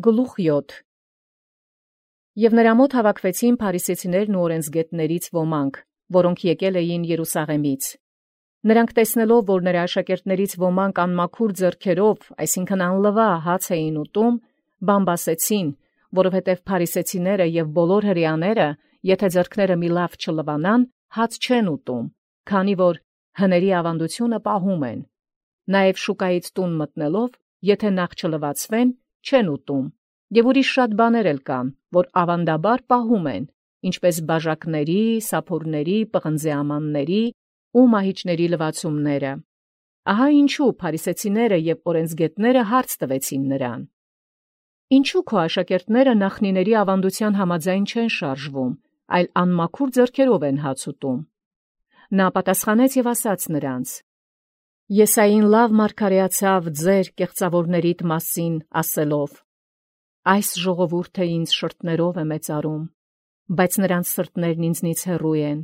Գլուխ 7 Եւ նրա մոտ հավաքվեցին փարիսեցիներն ու օրենսգետներից ոմանք, որոնք եկել էին Երուսաղեմից։ Նրանք տեսնելով, որ նրա աշակերտներից ոմանք անմաքուր ձեռքերով, այսինքն անլվա հաց էին ուտում, բամբասեցին, որովհետև փարիսեցիները եւ բոլոր հրեաները, եթե ձեռքները մի լավ չլվանան, հաց չեն ուտում, քանի որ հների ավանդությունը պահում են։ Նաեւ շուկայից տուն մտնելով, եթե նախ չլվացվեն, չեն ուտում, եւ ուրիշ շատ բաներ էլ կան, որ ավանդաբար պահում են, ինչպես բաժակների, սափորների, պղնձեամանների ու մահիճների լվացումները։ Ահա ինչու փարիսեցիները եւ օրենսգետները հարց տվեցին նրան. Ինչու քո աշակերտները նախնիների ավանդության համաձայն չեն շարժվում, այլ անմաքուր ձեռքերով են հաց ուտում։ Նա պատասխանեց եւ ասաց նրանց. Եսային լավ մարգարեացավ ձեր կեղծավորներիդ մասին ասելով. այս ժողովուրդը ինձ շրթներով է մեծարում, բայց նրանց սրտներն ինձնից հեռու են։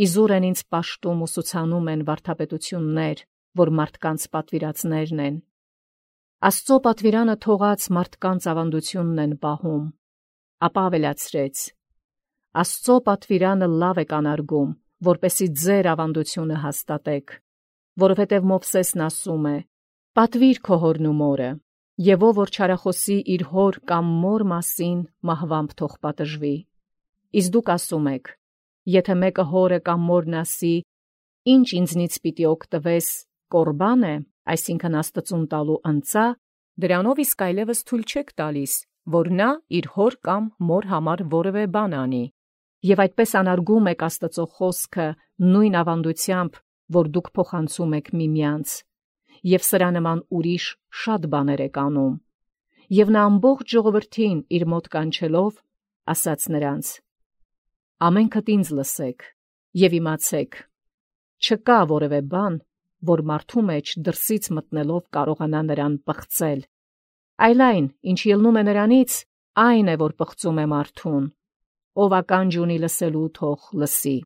Իզուր են ինձ պաշտում ու սուցանում են վարդապետություններ, որ մարդկանց պատվիրածներն են։ Աստծո պատվիրանը թողած մարդկանց ավանդությունն են պահում, ապա ավելացրեց. Աստծո պատվիրանը լավ է կանարգում, որպեսզի ձեր ավանդությունը հաստատեք, որովհետև Մովսեսն ասում է. պատվիր քո հորն ու մորը, եւ ով որ չարախոսի իր հոր կամ մոր մասին մահվամբ թող պատժվի։ Իսկ դուք ասում եք. եթե մեկը հորը կամ մորն ասի, ինչ ինձնից պիտի օգտվես, կորբան է, այսինքն Աստծուն տալու ընծա, դրանով իսկ այլևս թույլ չեք տալիս, որ նա իր հոր կամ մոր համար որևէ բան անի, եւ այդպես անարգում եք Աստծո խոսքը նույն ավանդությամբ, որ դուք փոխանցում եք միմյանց, եւ սրա նման ուրիշ շատ բաներ եք անում։ Եվ նա ամբողջ ժողովրդին իր մոտ կանչելով, ասաց նրանց. ամենքդ ինձ լսեք եւ իմացեք, չկա որևէ բան, որ մարդու մեջ դրսից մտնելով կարողանա նրան պղծել, այլ այն, ինչ ելնում է նրանից, այն է, որ պղծում է մարդուն, ով ականջ ունի լսելու թող լսի։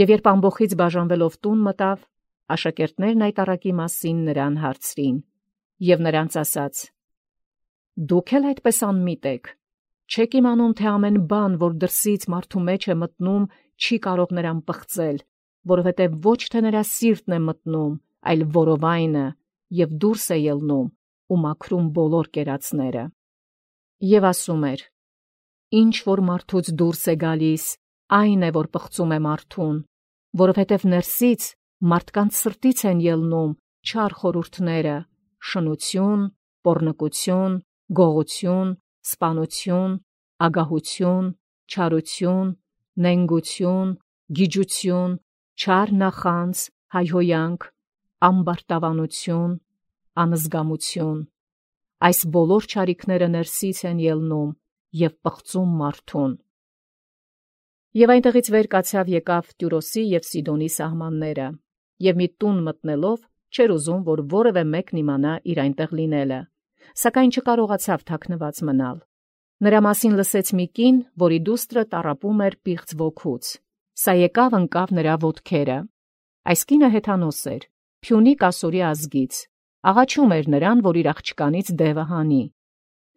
Եվ երբ ամբոխից բաժանվելով տուն մտավ, աշակերտներն այդ առակի մասին նրան հարցրին, եւ նրանց ասաց. դուք էլ այդպես անմիտ եք, չեք իմանում, թե ամեն բան, որ դրսից մարդու մեջ է մտնում, չի կարող նրան պղծել, որովհետև ոչ թե նրա սիրտն է մտնում, այլ որովայնը, եւ դուրս է ելնում ու մաքրում բոլոր կերածները։ Եվ ասում էր. ինչ որ մարդուց դուրս է գալիս, այն է, որ պղծում է մարդուն, որովհետև ներսից մարդկանց սրտից են ելնում չար խորհուրդները, շնություն, պոռնկություն, գողություն, սպանություն, ագահություն, չարություն, նենգություն, գիջություն, չար նախանձ, հայհոյանք, ամբարտավանություն, անզգամություն։ Այս բոլոր չարիքները ներսից են ելնում եւ պղծում մարդուն։ Եվ այնտեղից վեր կացավ եկավ Տյուրոսի եւ Սիդոնի սահմանները, եւ մի տուն մտնելով չէր ուզում, որ որևէ մեկն իմանա իր այնտեղ լինելը, սակայն չկարողացավ թաքնված մնալ։ Նրա մասին լսեց մի կին, որի դուստրը տառապում էր պիղծ ոգուց։ Սա եկավ ընկավ նրա ոտքերը։ Այս կինը հեթանոս էր, Փյունիկ ասորի ազգից, աղաչում էր նրան, որ իր աղջկանից դևը հանի։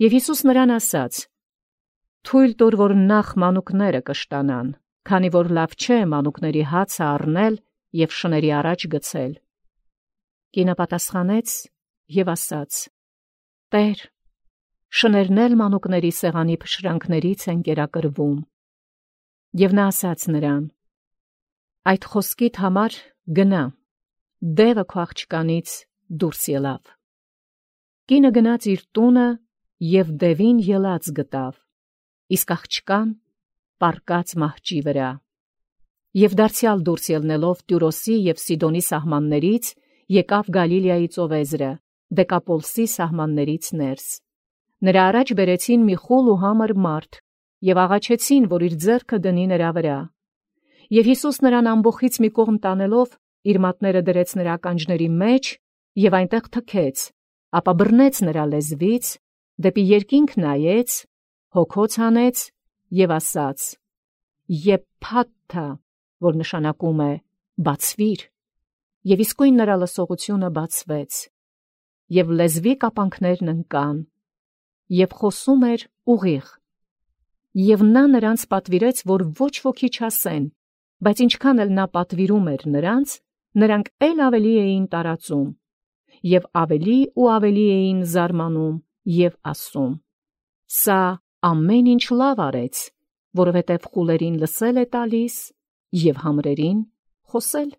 Եվ Հիսուս նրան ասաց. թույլ տուր, որ նախ մանուկները կշտանան, քանի որ լավ չէ մանուկների հացը առնել եւ շների առաջ գցել։ Կինը պատասխանեց եւ ասաց. Տեր, շներն էլ մանուկների սեղանի փշրանքներից են կերակրվում։ Եվ նա ասաց նրան. այդ խոսքիդ համար գնա, դևը քո աղջկանից դուրս ելավ։ Կինը գնաց իր տունը եւ դևին ելած գտավ, իսկ աղջկան պառկած մահճի վրա։ Եվ դարձյալ դուրս ելնելով Տյուրոսի եւ Սիդոնի սահմաններից, եկավ Գալիլեայի ծովեզրը, Դեկապոլսի սահմաններից ներս։ Նրա առաջ բերեցին մի խուլ ու համր մարդ եւ աղաչեցին, որ իր ձեռքը դնի նրա վրա։ Եվ Հիսուս նրան ամբոխից մի կողմ տանելով, իր մատները դրեց նրա ականջների մեջ եւ այնտեղ թքեց, ապա բռնեց նրա լեզվից, դեպի երկինք նայեց, հոգոց հանեց եւ ասաց. Եփաթա, որ նշանակում է բացվիր, եւ իսկույն նրա լսողությունը բացվեց, եւ լեզվի կապանքներն ընկան, եւ խոսում էր ուղիղ։ Եվ նա նրանց պատվիրեց, որ ոչ ոքի չասեն, բայց ինչքան էլ նա պատվիրում էր նրանց, նրանք ել ավելի էին տարածում, եւ ավելի ու ավելի էին զարմանում եւ ասում. «Սա ամեն ինչ լավ արեց, որովհետև խուլերին լսել է տալիս եւ համրերին խոսել»։